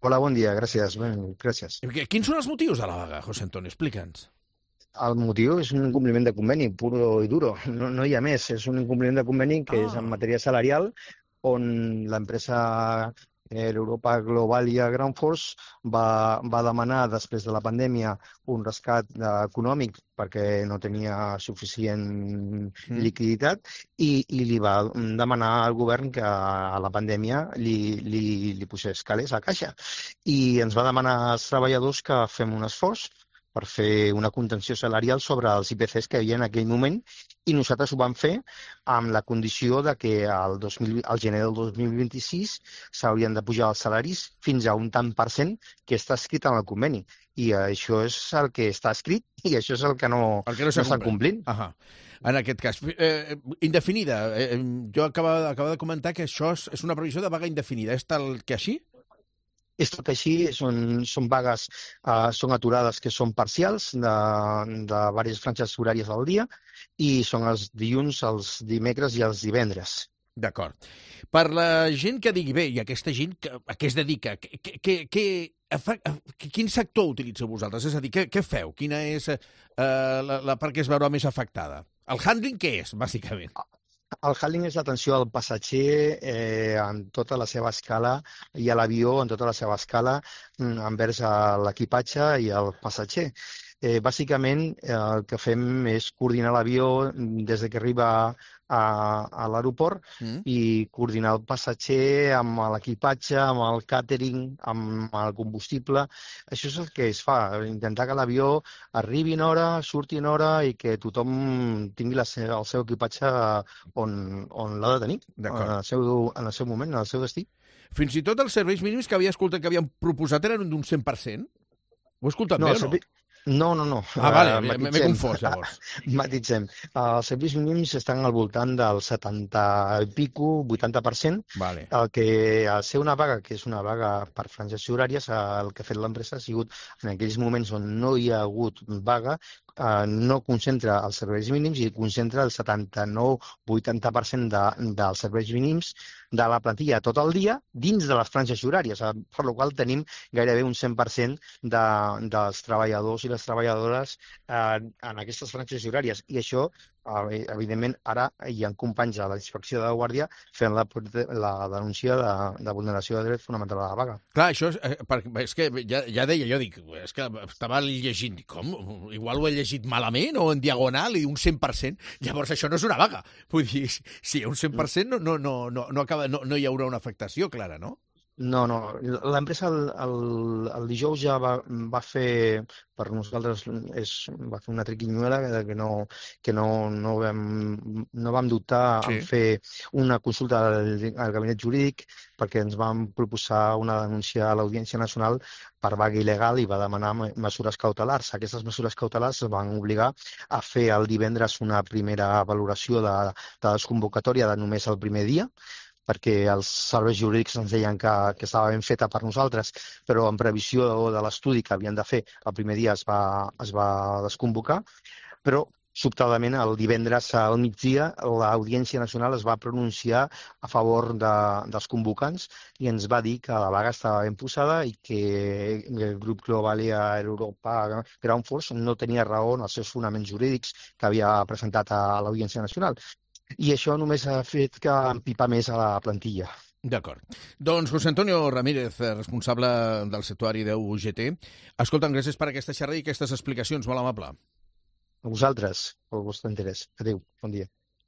Hola, bon dia, gràcies. Gràcies. Quins són els motius de la vaga, José Antonio? Explica'ns. El motiu és un incompliment de conveni, puro i duro. No hi ha més. És un incompliment de conveni que és en matèria salarial, on l'empresa Europa Globalia Groundforce va demanar, després de la pandèmia, un rescat econòmic perquè no tenia suficient liquiditat i li va demanar al govern que a la pandèmia li posés calés a caixa. I ens va demanar als treballadors que fem un esforç per fer una contenció salarial sobre els IPCs que hi havia en aquell moment, i nosaltres ho vam fer amb la condició de que al gener del 2026 s'haurien de pujar els salaris fins a un tant per cent que està escrit en el conveni. I això és el que està escrit i això és el que no s'està complint. En aquest cas, indefinida. Jo acabava de comentar que això és una previsió de vaga indefinida. És tal que així? És tot així, són vagues, són aturades que són parcials de diverses franges horàries al dia i són els dilluns, els dimecres i els divendres. D'acord. Per la gent que digui, bé, i aquesta gent a què es dedica, quin sector utilitzeu vosaltres? És a dir, què feu? Quina és la part que es veurà més afectada? El handling què és, bàsicament? El handling és l'atenció al passatger en tota la seva escala i a l'avió en tota la seva escala envers l'equipatge i el passatger. Bàsicament, el que fem és coordinar l'avió des que arriba a l'aeroport i coordinar el passatger amb l'equipatge, amb el càtering, amb el combustible. Això és el que es fa, intentar que l'avió arribi en hora, surti en hora i que tothom tingui el seu equipatge on l'ha de tenir, en el seu moment, en el seu destí. Fins i tot els serveis mínims que havia escoltat que havien proposat eren d'un 100%? Ho he escoltat bé o no? No. Vale, m'he confós, llavors. Matitzem. Els serveis mínims estan al voltant del 70 i pico, 80%. Vale. El que al ser una vaga, que és una vaga per franges horàries, el que ha fet l'empresa ha sigut, en aquells moments on no hi ha hagut vaga, no concentra els serveis mínims i concentra el 79-80% dels serveis mínims de la plantilla tot el dia dins de les franges horàries, per la qual tenim gairebé un 100% dels treballadors i les treballadores en aquestes franges horàries. I això, evidentment, ara hi ha companys a la inspecció de guàrdia fent la denúncia de vulneració de dret fonamental a la vaga. Clar, això és que ja deia, jo dic, és que estava llegint, com? Igual ho he llegit malament o en diagonal i un 100%, llavors això no és una vaga. Vull dir, si hi ha un 100% no hi haurà una afectació clara, no? No. L'empresa el dijous ja va fer, per nosaltres, va fer una triquinyuela que no vam dubtar en fer una consulta al gabinet jurídic perquè ens van proposar una denúncia a l'Audiència Nacional per vaga il·legal i va demanar mesures cautelars. Aquestes mesures cautelars es van obligar a fer el divendres una primera valoració de desconvocatòria de només el primer dia, perquè els serveis jurídics ens deien que estava ben feta per nosaltres, però en previsió de l'estudi que havien de fer el primer dia es va desconvocar, però sobtadament el divendres al migdia l'Audiència Nacional es va pronunciar a favor dels convocants i ens va dir que la vaga estava ben posada i que el grup Globalia Europa Groundforce no tenia raó en els seus fonaments jurídics que havia presentat a l'Audiència Nacional. I això només ha fet que empipar més a la plantilla. D'acord. Doncs José Antonio Ramírez, responsable del sector de UGT. Escolta'm, gràcies per aquesta xerrada i aquestes explicacions. Molt amable. A vosaltres, pel vostre interès. Adéu, bon dia.